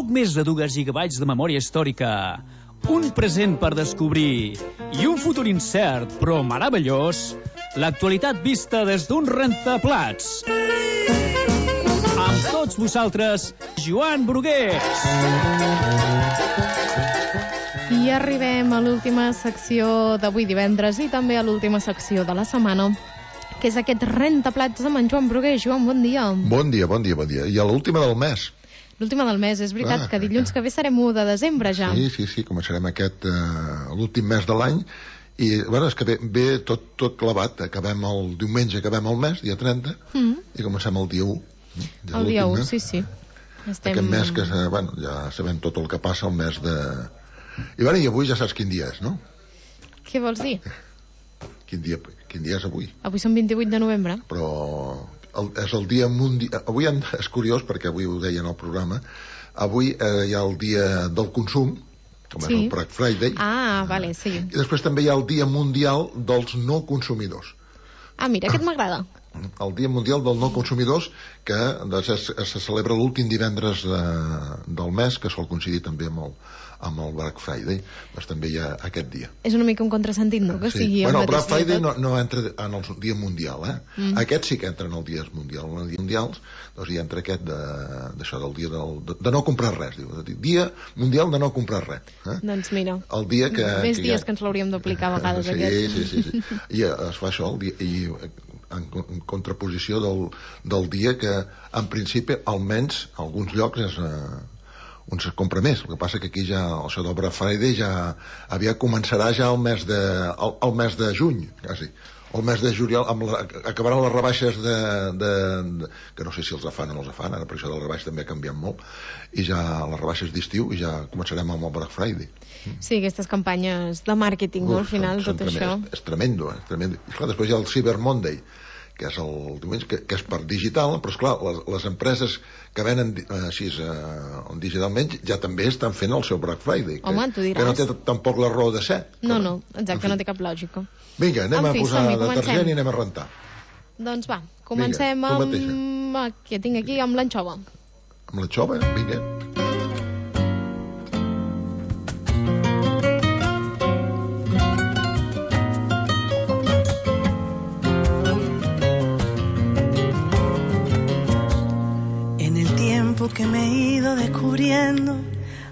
poc més de 2 gigabytes de memòria històrica, un present per descobrir i un futur incert però meravellós, l'actualitat vista des d'un rentaplats. Amb tots vosaltres, Joan Brugués. I arribem a l'última secció d'avui divendres i també a l'última secció de la setmana, que és aquest rentaplats amb en Joan Brugués. Joan, bon dia. Bon dia. I a l'última del mes. L'última del mes, és veritat, que dilluns que ve serem 1 de desembre ja. Sí, començarem aquest l'últim mes de l'any i, bueno, és que ve tot clavat. Acabem el diumenge, acabem el mes, dia 30, i comencem el dia 1. El dia 1, sí. Aquest mes que, bueno, ja sabem tot el que passa el mes de... I avui ja saps quin dia és, no? Què vols dir? Quin dia és avui? Avui són 28 de novembre. Però és el dia mundial... Avui és curiós, perquè avui ho deia en el programa, avui hi ha el dia del consum, com és el Black Friday. Vale, sí. I després també hi ha el dia mundial dels no consumidors. Mira, aquest m'agrada. El dia mundial dels no consumidors, que se celebra l'últim divendres del mes, que sol coincidir també amb el Black Friday. Doncs també hi ha aquest dia. És una mica un contrasentit, no? Que sigui el Black Friday no entra en el dia mundial, Aquest sí que entra en el dia mundial. En els dies mundials, doncs hi entra aquest d'això, del dia de no comprar res. Dia mundial de no comprar res. Doncs mira, el dia que... Més dies que ens l'hauríem d'aplicar a vegades, aquest. Sí. I es fa això, en contraposició del dia que, en principi, almenys a alguns llocs on se compra més. El que passa que aquí ja això del Black Friday començarà ja el mes de juny, quasi. O el mes de juliol, acabaran les rebaixes que no sé si els fan o no els fan, ara per això de les rebaixes també ha canviat molt, i ja les rebaixes d'estiu i ja començarem amb el Black Friday. Sí, aquestes campanyes de màrqueting, al final, tot això. És tremendo. I clar, després hi ha el Cyber Monday, que és el diumenge, que és per digital, però esclar, les empreses que venen així digitalment ja també estan fent el seu Black Friday, que no té tampoc la raó de ser. No, exacte, no té cap lògica. Vinga, anem a posar detergent i anem a rentar. Doncs va, comencem amb... Què tinc aquí? Amb l'anxova. Amb l'anxova? Vinga. Que me he ido descubriendo,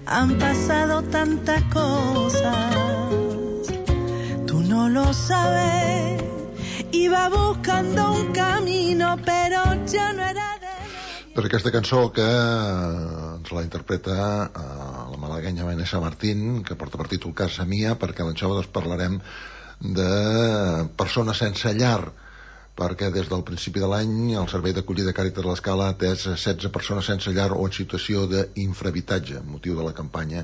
han pasado tantas cosas, tú no lo sabes, iba buscando un camino, pero ya no era de... Per aquesta cançó que ens la interpreta la malaguenya Vanessa Martín, que porta per títol Casa Mia, perquè a l'anxova parlarem de persones sense llar, perquè des del principi de l'any el Servei d'Acollida Càritas l'Escala ha atès 16 persones sense llar o en situació d'infrahabitatge, motiu de la campanya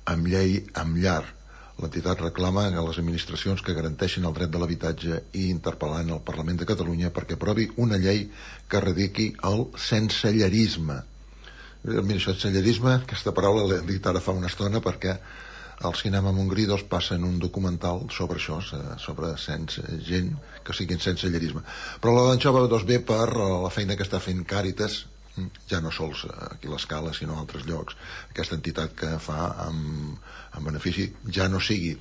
Amb llei, amb llar. L'entitat reclama a les administracions que garanteixin el dret de l'habitatge i interpel·lant el Parlament de Catalunya perquè aprovi una llei que erradiqui el sensellarisme. Mira, això, sensellarisme, aquesta paraula l'he dit ara fa una estona perquè al Cinema Montgrí passen un documental sobre això, sobre gent que siguin sense llarisme. Però la d'anxova ve per la feina que està fent Càritas, ja no sols aquí a l'Escala sinó a altres llocs, aquesta entitat que fa en benefici ja no sigui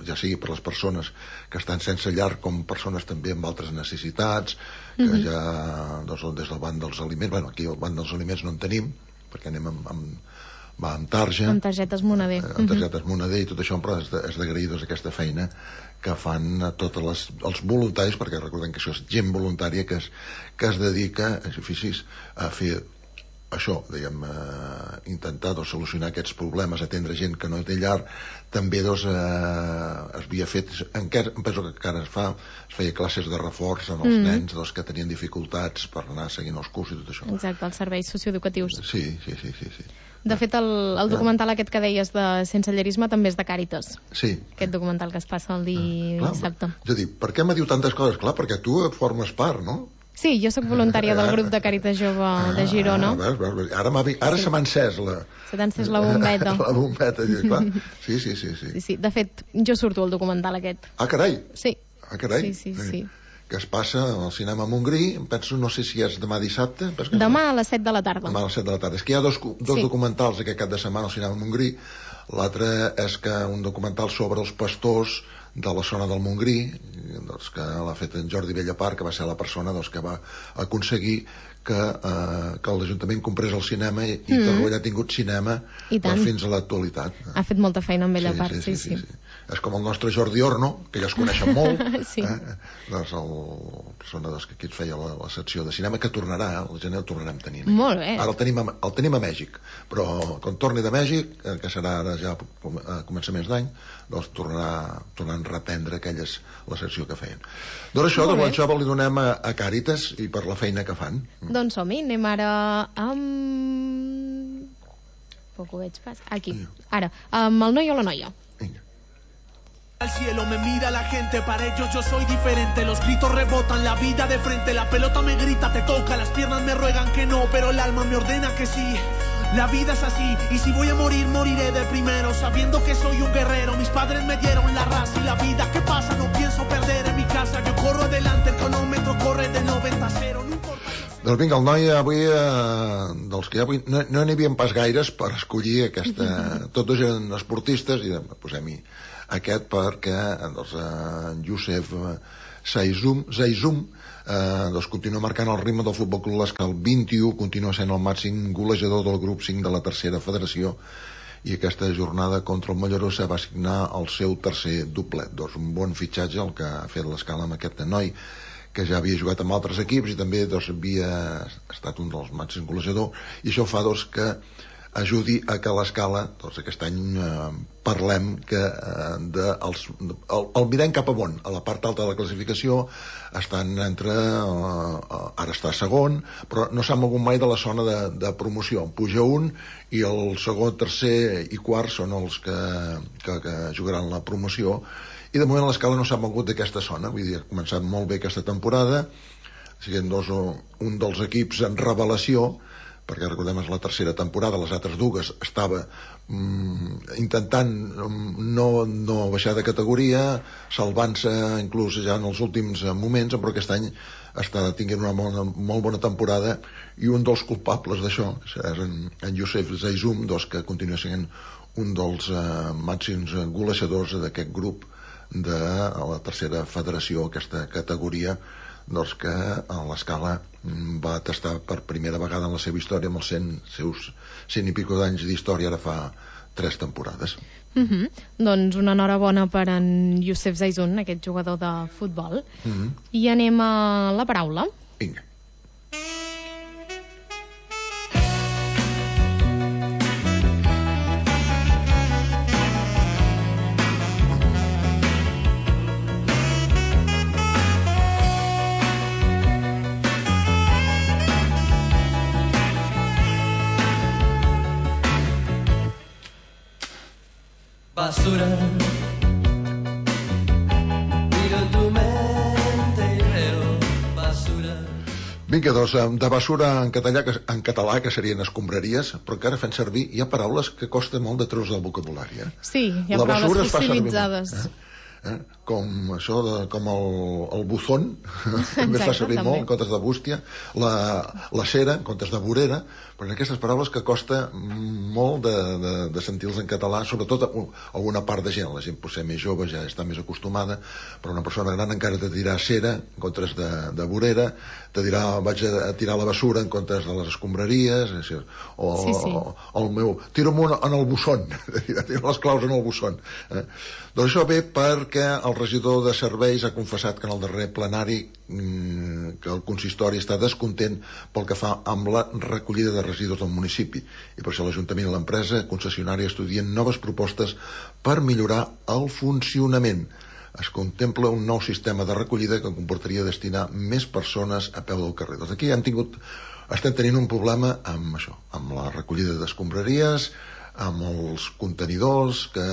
ja sigui per les persones que estan sense llar com persones també amb altres necessitats, que ja des del banc dels aliments, aquí el banc dels aliments no en tenim perquè anem amb targetes Moneder. Amb targetes Moneder i tot això, però és d'agrair aquesta feina que fan tots els voluntaris, perquè recordem que això és gent voluntària que es dedica a fer això, intentar solucionar aquests problemes, atendre gent que no té llar. També es havia fet, penso que encara es feia classes de reforç en els nens que tenien dificultats per anar seguint els cursos i tot això. Exacte, els serveis socioeducatius. Sí. De fet, el documental aquest que deies de sensellarisme també és de Càritas. Sí. Aquest documental que es passa el dissabte. És a dir, per què me diu tantes coses? Clar, perquè tu formes part, no? Sí, jo sóc voluntària del grup de Càritas Jove de Girona. Ara se m'ha encès se t'ha encès la bombeta. La bombeta, clar. Sí. De fet, jo surto al documental aquest. Ah, carai! Sí. Ah, carai! Sí. que es passa al cinema Montgrí, penso, no sé si és demà dissabte. Demà a les 7 de la tarda. Demà a les 7 de la tarda. És que hi ha dos documentals aquest cap de setmana al cinema Montgrí. L'altre és que un documental sobre els pastors de la zona del Montgrí, doncs, que l'ha fet en Jordi Bellapart, que va ser la persona doncs, que va aconseguir que l'Ajuntament comprés el cinema i Torroella ha tingut cinema fins a l'actualitat. Ha fet molta feina amb Bellapart, sí. És com el nostre Jordi Orno, que ja es coneixen molt, sí. Doncs la persona que aquí et feia la secció de cinema, que tornarà, el gener el tornarem tenint. Molt bé. Ara el tenim a Mèxic, però quan torni de Mèxic, que serà ara ja a començaments d'any, doncs tornaran a reprendre la secció que feien. Doncs això, de Guanxova li donem a Càritas i per la feina que fan. Doncs som-hi, anem ara amb... Poc ho veig pas. Aquí, ara, amb el noi o la noia. Vinga. Al cielo me mira la gente, para ellos yo soy diferente. Los gritos rebotan, la vida de frente. La pelota me grita, te toca, las piernas me ruegan que no, pero el alma me ordena que sí. La vida es así, y si voy a morir, moriré de primero, sabiendo que soy un guerrero. Mis padres me dieron la raza y la vida. ¿Qué pasa? No pienso perder en mi casa. Yo corro adelante, el cronómetro corre de 90 a 0. No importa. Doncs vinga, el noi avui, dels que avui no n'hi havia pas gaires per escollir aquesta... Tots eren esportistes i posem-hi aquest perquè doncs, en Youssef Zaizum doncs continua marcant el ritme del Futbol Club L'Escala 21, continua sent el màxim golejador del grup 5 de la tercera federació i aquesta jornada contra el Mollerussa va signar el seu tercer doblet. Doncs un bon fitxatge el que ha fet l'Escala amb aquest noi, que ja havia jugat amb altres equips i també doncs, havia estat un dels màxims golejadors, i això fa doncs, que ajudi a que l'Escala, doncs aquest any parlem que el mirem cap amunt, a la part alta de la classificació estan ara està segon, però no s'ha mogut mai de la zona de promoció, puja un i el segon, tercer i quart són els que jugaran la promoció, i de moment l'Escala no s'ha mogut d'aquesta zona, vull dir, ha començat molt bé aquesta temporada, siguent un dels equips en revelació, perquè recordem és la tercera temporada, les altres dues estava intentant no baixar de categoria, salvant-se inclús ja en els últims moments, però aquest any està tinguent una molt bona temporada, i un dels culpables d'això és en Youssef Zaizum, que continua sent un dels màxims golejadors d'aquest grup de la tercera federació, aquesta categoria, doncs que l'Escala va tastar per primera vegada en la seva història amb els seus 100 i pico d'anys d'història, ara fa 3 temporades. Doncs una enhorabona per en Youssef Zaizun, aquest jugador de futbol. I anem a la paraula. Vinga. Basura, miro tu mente y veo basura. Vinga, doncs, de basura en català, que serien escombraries, però que ara fem servir, hi ha paraules que costa molt de treure del vocabulari. Sí, hi ha paraules fossilitzades. Com això, com el buzón, també es fa servir molt en comptes de bústia, la cera en comptes de vorera, però aquestes paraules que costa molt de sentir-los en català, sobretot alguna part de gent. La gent potser més jove ja està més acostumada, però una persona gran encara te dirà cera en comptes de vorera, te dirà vaig a tirar la basura en comptes de les escombraries, o el meu tiro-m'ho en el bussón, tiro les claus en el bussón. Doncs això ve perquè el regidor de serveis ha confessat que en el darrer plenari que el consistori està descontent pel que fa amb la recollida de residus del municipi, i per això l'Ajuntament i l'empresa concessionària estudien noves propostes per millorar el funcionament. Es contempla un nou sistema de recollida que comportaria destinar més persones a peu del carrer. Doncs aquí estem tenint un problema amb això, amb la recollida d'escombraries, amb els contenidors, que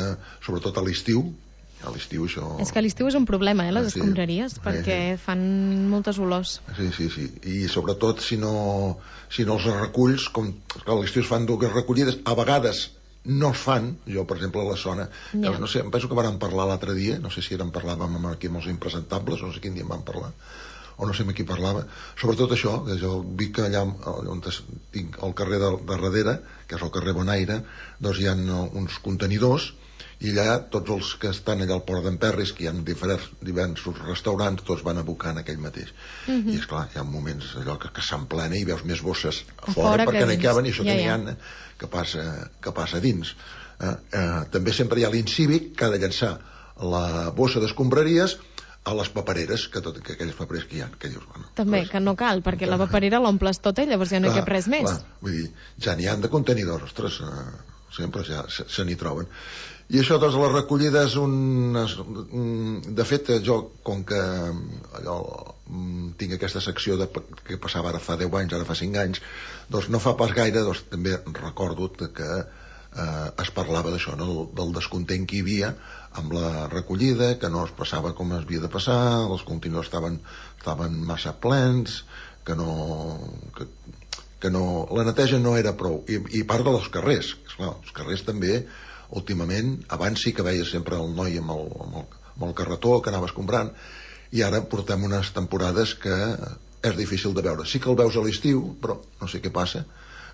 sobretot a l'estiu això... És que a l'estiu és un problema, les escombraries, perquè fan moltes olors. Sí, i sobretot si no els reculls, com a l'estiu es fan dues recollides, a vegades no es fan. Jo, per exemple, a la zona, no sé, em penso que vam parlar l'altre dia, no sé si parlàvem aquí amb els impresentables, no sé quin dia en vam parlar, o no sé amb qui parlava, sobretot això, que jo vi que allà on tinc el carrer de darrere, que és el carrer Bonaire, doncs hi ha uns contenidors, i allà tots els que estan allà al Port d'en Perris, que hi ha diversos restaurants, tots van abocar en aquell mateix. I esclar, hi ha moments allò que s'emplena i veus més bosses a fora perquè no hi caben, i això que n'hi ha que passa dins. També sempre hi ha l'incívic que ha de llançar la bossa d'escombraries a les papereres, que aquelles papereres que hi ha, que dius, bueno, també, que no cal, perquè la paperera l'omples tota i llavors ja no hi cap res més. Vull dir, ja n'hi han de contenidors, ostres, sempre ja se n'hi troben. I això, doncs, les recollides, de fet, jo, com que tinc aquesta secció que passava ara fa 10 anys, ara fa 5 anys, doncs no fa pas gaire, doncs també recordo que es parlava d'això, del descontent que hi havia amb la recollida, que no es passava com es havia de passar, els contenidors estaven massa plens, que la neteja no era prou, i part dels carrers, esclar, els carrers també últimament, abans sí que veies sempre el noi amb el carretó que anaves comprant, i ara portem unes temporades que és difícil de veure. Sí que el veus a l'estiu, però no sé què passa,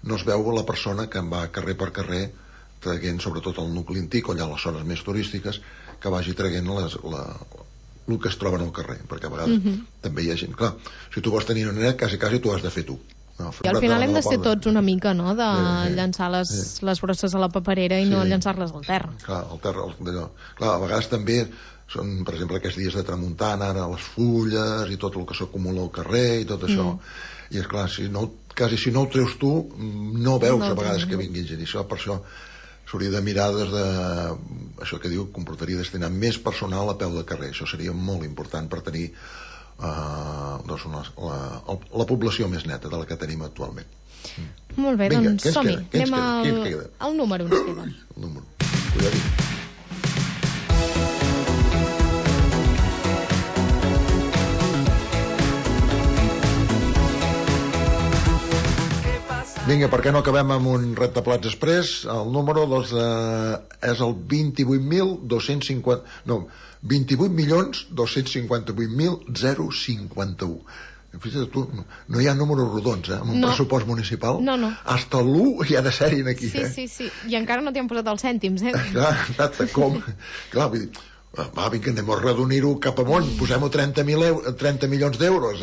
no es veu la persona que va carrer per carrer traient, sobretot al nucli antic o allà a les zones més turístiques, que vagi traient el que es troba al carrer, perquè a vegades també hi ha gent, clar, si tu vols tenir una nena, quasi tu has de fer tu. I al final hem de ser tots una mica, no?, de llançar les brosses a la paperera i no llançar-les al terra. Clar, al terra, clar, a vegades també són, per exemple, aquests dies de tramuntana, ara les fulles i tot el que s'acumula al carrer i tot això, i és clar, quasi si no ho treus tu, no veus a vegades que vingui gent, i això, per això s'hauria de mirar des de això que diu, comportaria destinar més personal a peu de carrer, això seria molt important per tenir la població més neta de la que tenim actualment. Molt bé, doncs som-hi, anem al número, ens queda. El número, cuidadit. Vinga, per què no acabem amb un rentaplats express? El número és el 28.258.051. Fixa't tu, no hi ha números rodons, amb un pressupost municipal. No. Hasta l'1 hi ha de ser-hi aquí. Sí. I encara no t'hi han posat els cèntims, Clar, exacte, com? Clar, vull dir, va, vinga, anem a redonir-ho cap amunt, posem-ho 30 milions d'euros,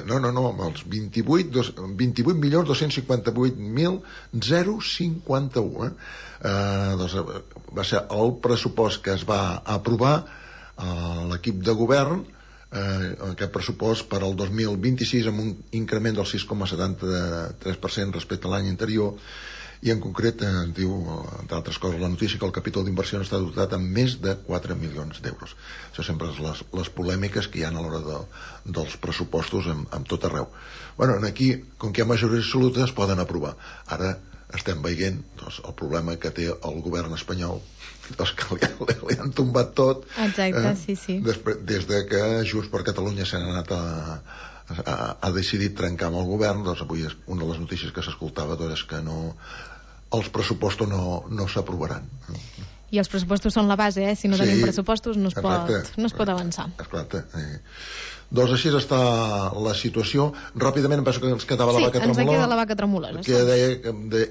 No, els 28.258.051, doncs va ser el pressupost que es va aprovar a l'equip de govern, aquest pressupost per al 2026 amb un increment del 6,73% respecte a l'any anterior, i en concret diu, entre altres coses, la notícia que el capítol d'inversió està dotat amb més de 4 milions d'euros. Això sempre és les polèmiques que hi ha a l'hora dels pressupostos en tot arreu. Bueno, aquí, com que hi ha majoria absoluta, es poden aprovar. Ara estem veient el problema que té el govern espanyol, que li han tombat tot. Exacte, sí. Des de que Junts per Catalunya s'han anat ha decidit trencar amb el govern, doncs avui una de les notícies que s'escoltava és que els pressupostos no s'aprovaran. I els pressupostos són la base, si no tenim pressupostos no es pot avançar. Exacte. Doncs així està la situació. Ràpidament em penso que ens quedava la vaca tremolora. Sí, ens queda la vaca tremolora. Que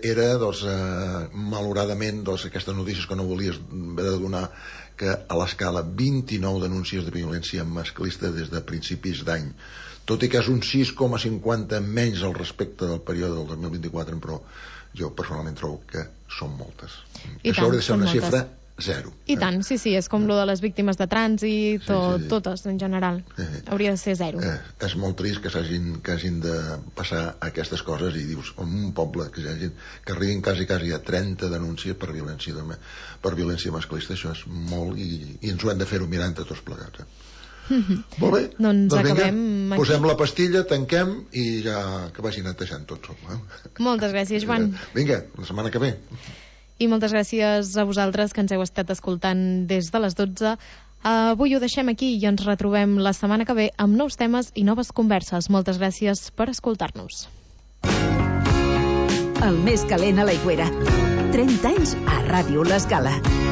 era, malauradament, aquestes notícies que no volies haver de donar, que a l'escala 29 denúncies de violència masclista des de principis d'any. Tot i que és un 6,50 menys al respecte del període del 2024, però jo personalment trobo que són moltes. Això hauria de ser una xifra 0. I tant, sí, és com lo de les víctimes de trànsit, totes en general. Hauria de ser 0. És molt trist que hagin de passar aquestes coses i dius, en un poble que arribin quasi a 30 denúncies per violència masclista, això és molt, i ens ho hem de fer-ho mirant de tots plegats. Molt bé, doncs acabem vinga, posem la pastilla, tanquem i ja que vagi netejant tots. Moltes gràcies, Joan. Vinga, la setmana que ve. I moltes gràcies a vosaltres que ens heu estat escoltant des de les 12. Avui ho deixem aquí i ens retrobem la setmana que ve amb nous temes i noves converses. Moltes gràcies per escoltar-nos. El més calent a l'aigüera. 30 anys a Ràdio L'Escala.